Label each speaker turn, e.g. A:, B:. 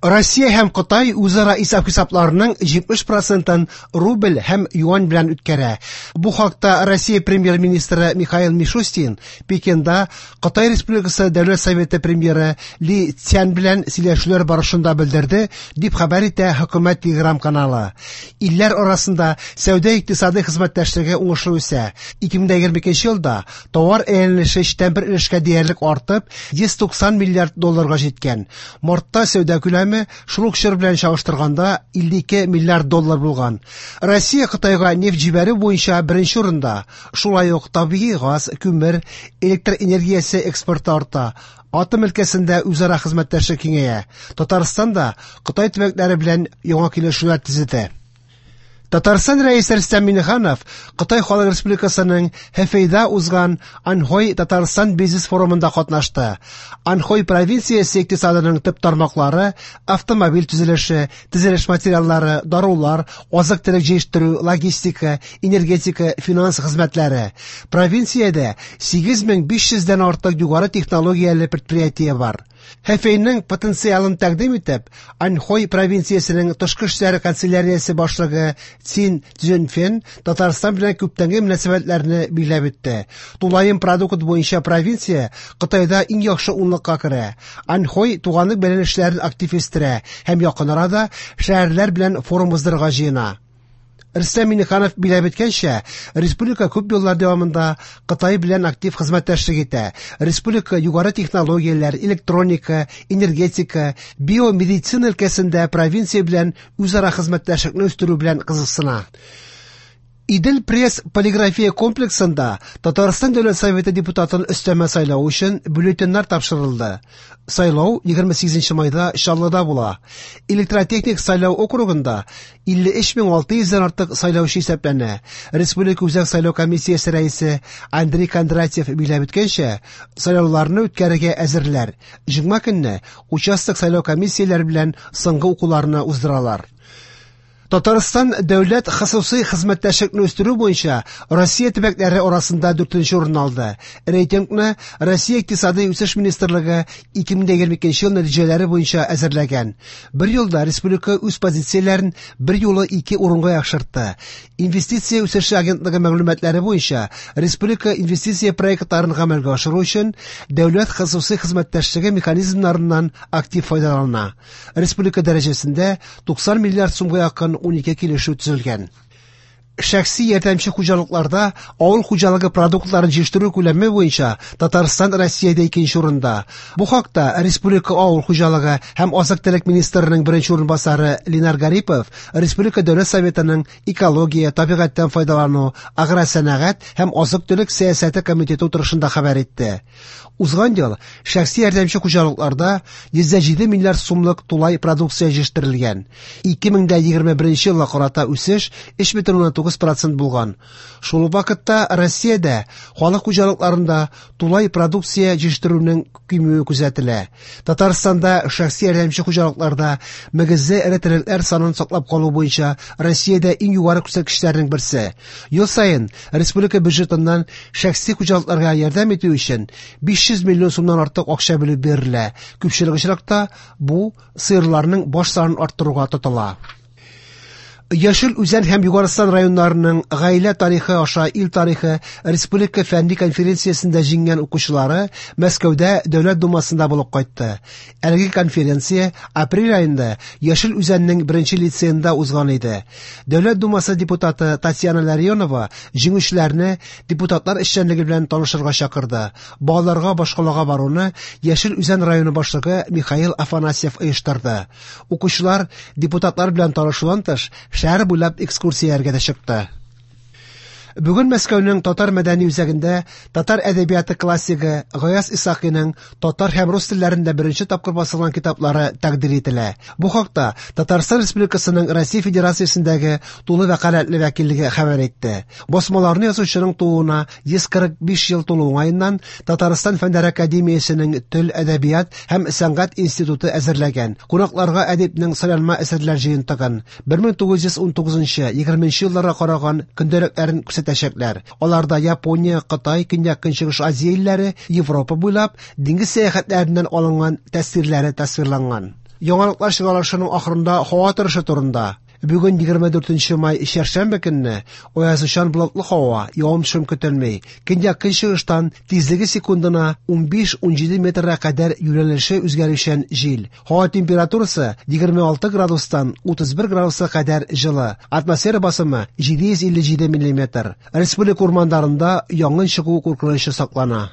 A: Россия һәм Кытай үзара исәп-хисапларының 70 процентын рубль һәм юань белән үткәрә. Бу хакта Россия премьер-министры Михаил Мишустин Пекинда Кытай Республикасы Дәүләт Советы премьеры Ли Цян белән сөйләшүләр барышында белдерде, дип хәбәр итә хөкүмәт телеграм-каналы. Илләр арасында сәүдә-икътисадый хезмәттәшлеге уңышлы үсә. 2022 елда товар әйләнеше өчтән бер өлешкә диярлек артып, 190 миллиард долларга җиткән. Мартта сәүдә күләме шул ук чор белән чагыштырганда 52 миллиард доллар булган. Россия Кытайга нефть җибәрү буенча беренче урында. Шулай ук табигый газ, күмер, электр энергиясе экспорты арта. Атом өлкәсендә үзара хезмәттәшлек киңәя. Татарстан да Кытай төбәкләре белән яңа килешүләр төзеде. Татарстан Рәисе Рөстәм Миңнеханов Кытай Халык Республикасының Хэфэйда узган Аньхой Татарстан бизнес форумында катнашты. Аньхой провинциясе икътисадының төп тармаклары автомобиль төзелеше, төзелеш материаллары, дарулар, азык-төлек җитештерү, логистика, энергетика, финанс хезмәтләре. Провинциядә 8500 дән артык югары технологияле предприятие бар. Хэфэйның потенциалын тәкъдим итеп, Аньхой провинциясенең тышкы эшләр канцеляриясе башлыгы Цин Цзюньфен Татарстан белән күптәнге мөнәсәбәтләрне билгеләп үтте. Тулаем продукт буенча провинция Кытайда иң яхшы унлыкка керә. Аньхой туганлык бәйләнешләрен актив үстерә һәм якын арада шәһәрләр белән форум уздырырга җыена. Рөстәм Миңнеханов билгеләп үткәнчә, республика күп еллар дәвамында Кытай белән актив хезмәттәшлек итә. Республика югары технологияләр, электроника, энергетика, биомедицина өлкәсендә провинция белән үзара хезмәттәшлекне үстерү белән кызыксына. Идел пресс полиграфия комплексында Татарстан Дәүләт Советы депутатын өстәмә сайлау өчен бюллетеньнәр тапшырылды. Сайлау 28 майда Чаллыда була. Электротехник сайлау округында 53600 дән артык сайлаучы исәпләнә. Республика Үзәк сайлау комиссиясе рәисе Андрей Кондратьев билгеләп үткәнчә, сайлауларны үткәрергә әзерләр. Җомга көнне участок сайлау комиссияләре белән соңгы укуларны уздыралар. Татарстан дәүләт хосусый хезмәттәшлекне үстерү буенча Россия төбәкләре арасында дүртенче урын алды. Рейтингны Россия Икътисадый үсеш министрлыгы 2022 ел нәтиҗәләре буенча әзерләгән. Бер елда республика үз позицияләрен бер юлы ике урынга яхшыртты. Инвестиция үсеше агентлыгы мәгълүматлары буенча республика инвестиция проектларын гамәлгә ашыру өчен дәүләт хосусый хезмәттәшлеге механизмнарыннан актив файдалана. Республика дәрәҗәсендә 90 миллиард сумга якын 12 килешү төзелгән. Шәхси ярдәмче хуҗалыкларда авыл хуҗалыгы продуктларын җитештерү күләме буенча Татарстан Россиядә икенче урында. Бу хакта Республика авыл хуҗалыгы һәм азык-төлек министрының беренче урынбасары Ленар Гарипов Республика Дәүләт Советының экология, табигатьтән файдалану, агросәнәгать һәм азык-төлек сәясәте комитеты утырышында хәбәр итте. Узган ел шәхси ярдәмче хуҗалыкларда 107 миллиард сумлык тулай продукция җитештерелгән. 2021 елга карата үсеш 3,9% булган. Шул ук вакытта Россиядә халык хуҗалыкларында тулай продукция җитештерүнең кимүе күзәтелә. Татарстанда шәхси ярдәмче хуҗалыкларда мөгезле эре терлекләр санын саклап калу буенча Россиядә иң югары күрсәткечләрнең берсе. Ел саен республика бюджетыннан шәхси хуҗалыкларга ярдәм итү өчен 500 миллион сумнан артык акча бүлеп бирелә. Күпчелек очракта бу сыерларның баш санын арттыруга тотыла. Яшел Үзән һәм Югарыстан районнарының гаилә тарихы аша ил тарихы республика фәнни конференциясендә җиңгән укучылары Мәскәүдә Дәүләт Думасында булып кайтты. Әлеге конференция апрель аенда Яшел Үзәннең беренче лицеенда узган иде. Дәүләт Думасы депутаты Татьяна Ларионова җиңүчеләрне депутатлар эшчәнлеге белән танышырга чакырды. Балаларга башкалага баруны Яшел Үзән районы башлыгы Михаил Афанасьев оештырды. Укучылар депутатлар белән танышудан тыш, шәһәр буйлап экскурсияләргә дә чыкты. Бүген Мәскәүнең татар мәдәни үзәгендә татар әдәбияты классигы Гаяз Исхакыйның татар һәм рус телләрендә беренче тапкыр басылган китаплары тәкъдир ителә. Бу хакта Татарстан Республикасының Россия Федерациясендәге тулы вәкаләтле вәкиллеге хәбәр итте. Басмаларны язучының тууына 145 ел тулу уңаеннан Татарстан Фәннәр академиясенең Тел, әдәбият һәм сәнгать институты әзерләгән. Кунакларга әдипнең сайланма әсәрләр җыентыгын 1919-20 елларга караган көндәлекләрен күрсәтәчәкләр. Аларда Япония, Кытай, Көньяк-Көнчыгыш Азия илләре, Европа буйлап диңгез сәяхәтләреннән алынган тәэсирләре тасвирланган. Яңалыклар чыгарылышының ахырында һава торышы турында. Бүген 24 май чәршәмбе көнне аязучан болытлы һава, явым-төшем көтелми. Көньяк-көнчыгыштан тизлеге секундына 15-17 метрга кадәр юнәлеше үзгәрүчән җил. Һава температурасы 26 градустан 31 градуска кадәр җылы. Атмосфера басымы 757 миллиметр. Республика урманнарында янгын чыгу куркынычы саклана.